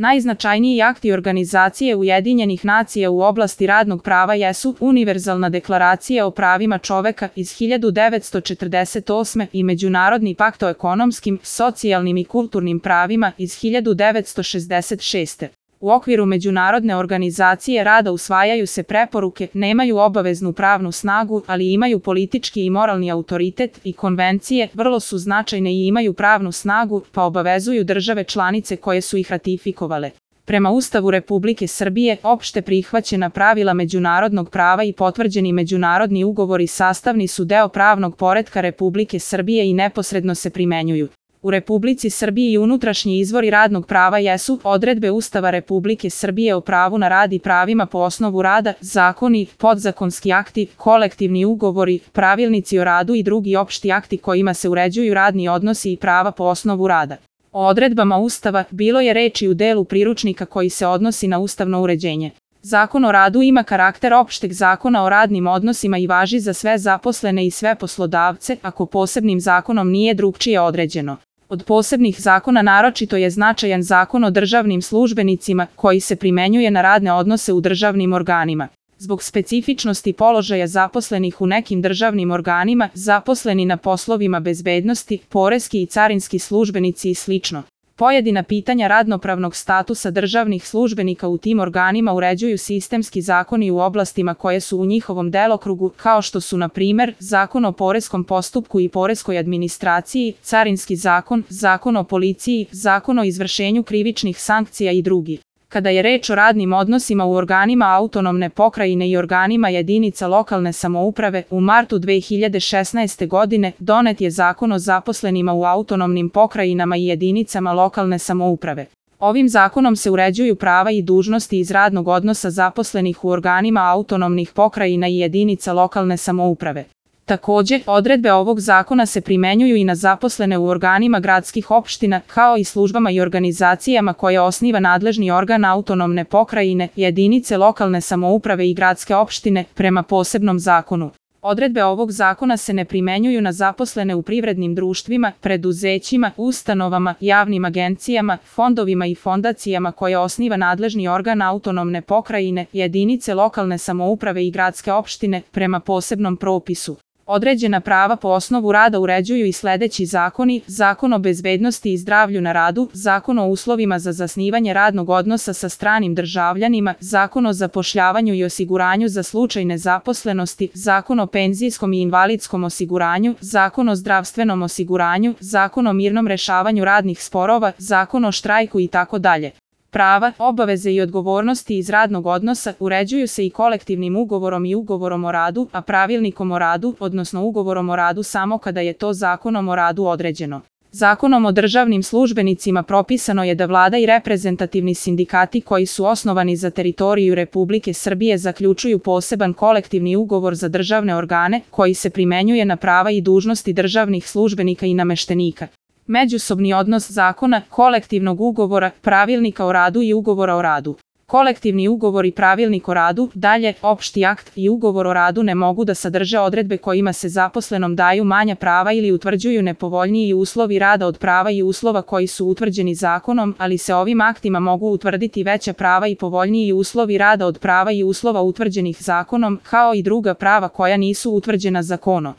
Najznačajniji akti Organizacije Ujedinjenih nacija u oblasti radnog prava jesu Univerzalna deklaracija o pravima čoveka iz 1948. i Međunarodni pakt o ekonomskim, socijalnim i kulturnim pravima iz 1966. U okviru Međunarodne organizacije rada usvajaju se preporuke, nemaju obaveznu pravnu snagu, ali imaju politički i moralni autoritet, i konvencije vrlo su značajne i imaju pravnu snagu, pa obavezuju države članice koje su ih ratifikovale. Prema Ustavu Republike Srbije, opšte prihvaćena pravila međunarodnog prava i potvrđeni međunarodni ugovori sastavni su deo pravnog poretka Republike Srbije i neposredno se primenjuju. U Republici Srbiji unutrašnji izvori radnog prava jesu odredbe Ustava Republike Srbije o pravu na rad i pravima po osnovu rada, zakoni, podzakonski akti, kolektivni ugovori, pravilnici o radu i drugi opšti akti kojima se uređuju radni odnosi i prava po osnovu rada. O odredbama Ustava bilo je reči u delu priručnika koji se odnosi na ustavno uređenje. Zakon o radu ima karakter opšteg zakona o radnim odnosima i važi za sve zaposlene i sve poslodavce, ako posebnim zakonom nije drugčije određeno. Od posebnih zakona naročito je značajan Zakon o državnim službenicima, koji se primenjuje na radne odnose u državnim organima. Zbog specifičnosti položaja zaposlenih u nekim državnim organima, zaposleni na poslovima bezbednosti, poreski i carinski službenici i sl. Pojedina pitanja radnopravnog statusa državnih službenika u tim organima uređuju sistemski zakoni u oblastima koje su u njihovom delokrugu, kao što su, na primer, Zakon o poreskom postupku i poreskoj administraciji, Carinski zakon, Zakon o policiji, Zakon o izvršenju krivičnih sankcija i drugi. Kada je reč o radnim odnosima u organima autonomne pokrajine i organima jedinica lokalne samouprave, u martu 2016. godine donet je Zakon o zaposlenima u autonomnim pokrajinama i jedinicama lokalne samouprave. Ovim zakonom se uređuju prava i dužnosti iz radnog odnosa zaposlenih u organima autonomnih pokrajina i jedinica lokalne samouprave. Takođe, odredbe ovog zakona se primenjuju i na zaposlene u organima gradskih opština, kao i službama i organizacijama koje osniva nadležni organ autonomne pokrajine, jedinice lokalne samouprave i gradske opštine, prema posebnom zakonu. Odredbe ovog zakona se ne primenjuju na zaposlene u privrednim društvima, preduzećima, ustanovama, javnim agencijama, fondovima i fondacijama koje osniva nadležni organ autonomne pokrajine, jedinice lokalne samouprave i gradske opštine, prema posebnom propisu. Određena prava po osnovu rada uređuju i sledeći zakoni: Zakon o bezbednosti i zdravlju na radu, Zakon o uslovima za zasnivanje radnog odnosa sa stranim državljanima, Zakon o zapošljavanju i osiguranju za slučaj nezaposlenosti, Zakon o penzijskom i invalidskom osiguranju, Zakon o zdravstvenom osiguranju, Zakon o mirnom rešavanju radnih sporova, Zakon o štrajku itd. Prava, obaveze i odgovornosti iz radnog odnosa uređuju se i kolektivnim ugovorom i ugovorom o radu, a pravilnikom o radu, odnosno ugovorom o radu samo kada je to zakonom o radu određeno. Zakonom o državnim službenicima propisano je da vlada i reprezentativni sindikati koji su osnovani za teritoriju Republike Srbije zaključuju poseban kolektivni ugovor za državne organe, koji se primenjuje na prava i dužnosti državnih službenika i nameštenika. Međusobni odnos zakona, kolektivnog ugovora, pravilnika o radu i ugovora o radu. Kolektivni ugovor i pravilnik o radu, dalje, opšti akt i ugovor o radu ne mogu da sadrže odredbe kojima se zaposlenom daju manja prava ili utvrđuju nepovoljniji uslovi rada od prava i uslova koji su utvrđeni zakonom, ali se ovim aktima mogu utvrditi veća prava i povoljniji uslovi rada od prava i uslova utvrđenih zakonom, kao i druga prava koja nisu utvrđena zakonom.